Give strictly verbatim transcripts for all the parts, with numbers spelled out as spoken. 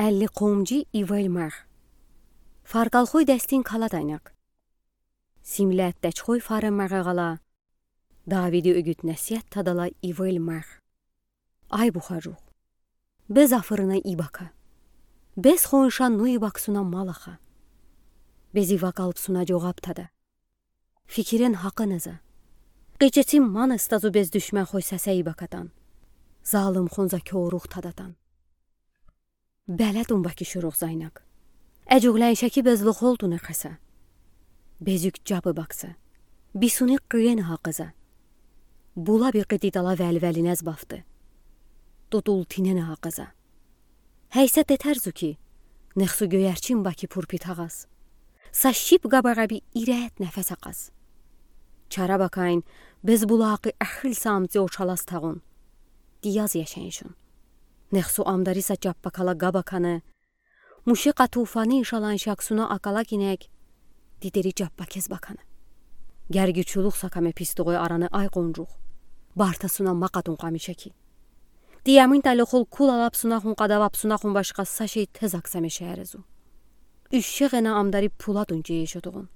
Элли къомжи ивел мег. Фаркалхой дестин каладайнаг. Симлет дечхой фарен мегегалла, Давиди угут-несиет тадалла ивел мег. Ай бухажух, бес афырына ибака. Бес хонша нуи баксуна малаха. Бези вакалбсуна жогаб тада. Фикирен гьакъын эза. Къечецим ман эстазу бес душманхой сесе ибакатан. Залымхун за кёрух тадатан. Белетун баки шурух зайнаг. Эжугленшеки бес лохолтуне къеса. Безюк жабы бакса. Бисуни къыен гьакъыза. Була би къыти тала велвелинез бафты. Тутул тинене гьакъыза. Гьейсет этерзу ки, нехсу гёерчин баки пурпи тагъаз. Са шип габаға би ирет нефес акъаз. Чара бакайн, бес булакъы эхил самци очалаз тагъун. Дияз яшеншун. Нехсу амдари са чаппакала габаканы, мушеқа туфани шалан шаксуна акала кинек, дидери чаппакез баканы. Гергючулух сакаме пистугой араны ай къонжух. Бартасуна мақатун къамишеки. Диямин тайлохол кул алапсунахун къадавапсунахун башқа са шей тез аксаме шерезу. Ушшеғена амдари пулатун чейешотуғун.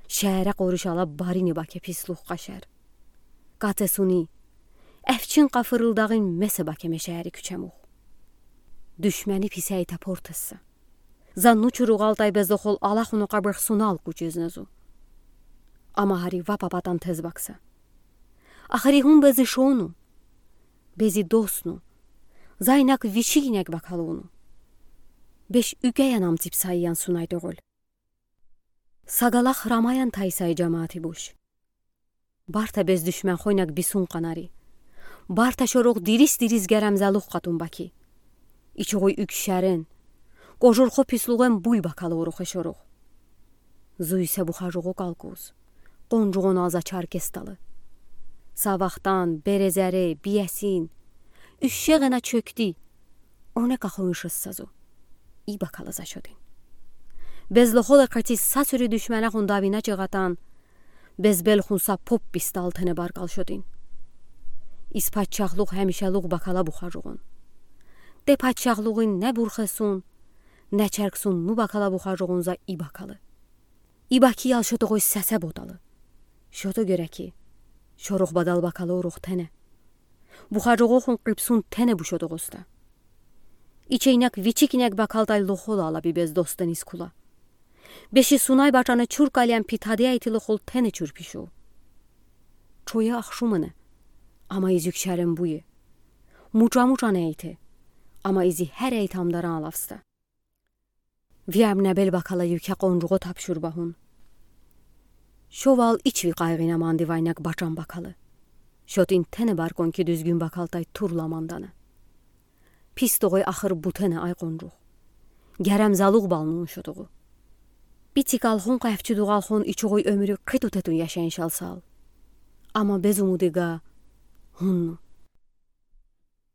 Шере къорушала барини баке пислух къашер. Катесуни, эфчин къафырылдағын месе бакеме шери кючемух. Душмени писей тапортесса. Занну чуруғалтай безлохол алахуну къабырхсунал кучезнезу. Ама хари ва папатан тез бакса. Ахари хун бези шону. Бези досну. Зайнак вичигинек бакалуну. Беш үкеян амципсайян сунай тоғол. Сагалах рамаян тайсай жамаати буш. Барта бес душманхойнак бисун къанари. Барта шорух дирис-дирис герем залух къатун баки. Ичуғуй үкшерен. Кожурхо пислуғен буй бакалы урухе шорух. Зуйсе бухажуғу калкуз. Къонжуғун аза чаркесталы. Савахтан, березере, биесин. Ушшеғена чокти. Оне кахуын шыссазу. И бакалы за шотин. Безлохол эқати са сури душманахун давина чыгъатан. Безбелхун са поп писталтене баркал шотин. Из патшахлух хемишелух бакала бухажуғун. Те патшахлуғын не бурхесун, не черксун ну бакала бухажуғун за и бакалы. И баки ял шотоғой сесе боталы. Шото гереки. Шорух бадал бакалы урух тене. Бухажуғохун къыпсун тене бу шотоғоста. Ичейнек вичикинек бакалтай лохола ала би бес достен из кула. Беши сунай бачаны чур калиян питади айти лохол тене чур пишу. Чоя ахшумыны. Ама изюк шарен буе. Муча-муча не айти. Ама изи хер айти амдаран алавста. Виям небел бакала юке къонжуғо тапшур бахун. Шовал ичви къайғина манди вайнак бачан бакалы. Шотин тене баркон ки дюзгюн бакалтай турла манданы. Пис тоғой ахыр бутене ай къонжуғ. Герем залуғ балнун шотуғу. Битик алхун къайфчудуғ алхун ичуғой өмрю қиту тетун яшен шалсал. Ама без умудига хунну.